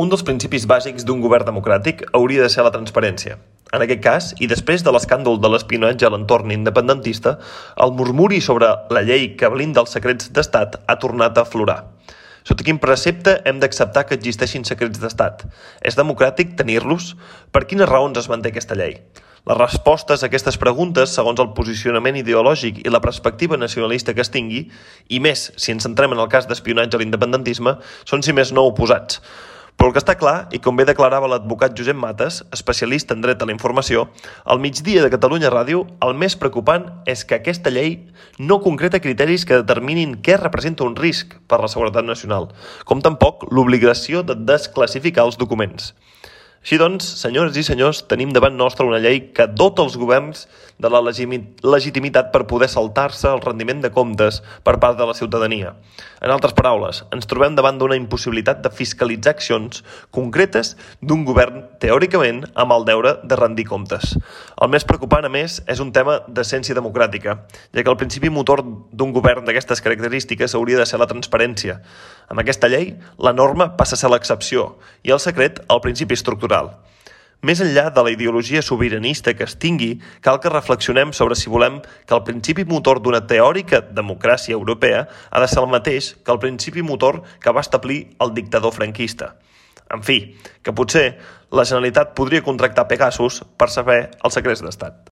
Un dels principis bàsics d'un govern democràtic hauria de ser la transparència. En aquest cas, i després de l'escàndol de l'espionatge a l'entorn independentista, el murmuri sobre la llei que blinda els secrets d'estat ha tornat a aflorar. Sota quin precepte hem d'acceptar que existeixin secrets d'estat? És democràtic tenir-los? Per quines raons es manté aquesta llei? Les respostes a aquestes preguntes, segons el posicionament ideològic i la perspectiva nacionalista que es tingui, i més si ens centrem en el cas d'espionatge a l'independentisme, són si més no oposats. Però el que està clar, i com bé declarava l'advocat Josep Mates, especialista en dret a la informació, al migdia de Catalunya Ràdio, el més preocupant és que aquesta llei no concreta criteris que determinin què representa un risc per a la seguretat nacional, com tampoc l'obligació de desclassificar els documents. Així doncs, senyores i senyors, tenim davant nostre una llei que dota els governs de la legitimitat per poder saltar-se el rendiment de comptes per part de la ciutadania. En altres paraules, ens trobem davant d'una impossibilitat de fiscalitzar accions concretes d'un govern, teòricament, amb el deure de rendir comptes. El més preocupant, a més, és un tema d'essència democràtica, ja que el principi motor d'un govern d'aquestes característiques hauria de ser la transparència. Amb aquesta llei, la norma passa a ser l'excepció i el secret el principi estructural. Més enllà de la ideologia sobiranista que es tingui, cal que reflexionem sobre si volem que el principi motor d'una teòrica democràcia europea ha de ser el mateix que el principi motor que va establir el dictador franquista. En fi, que potser la Generalitat podria contractar Pegasus per saber els secrets d'estat.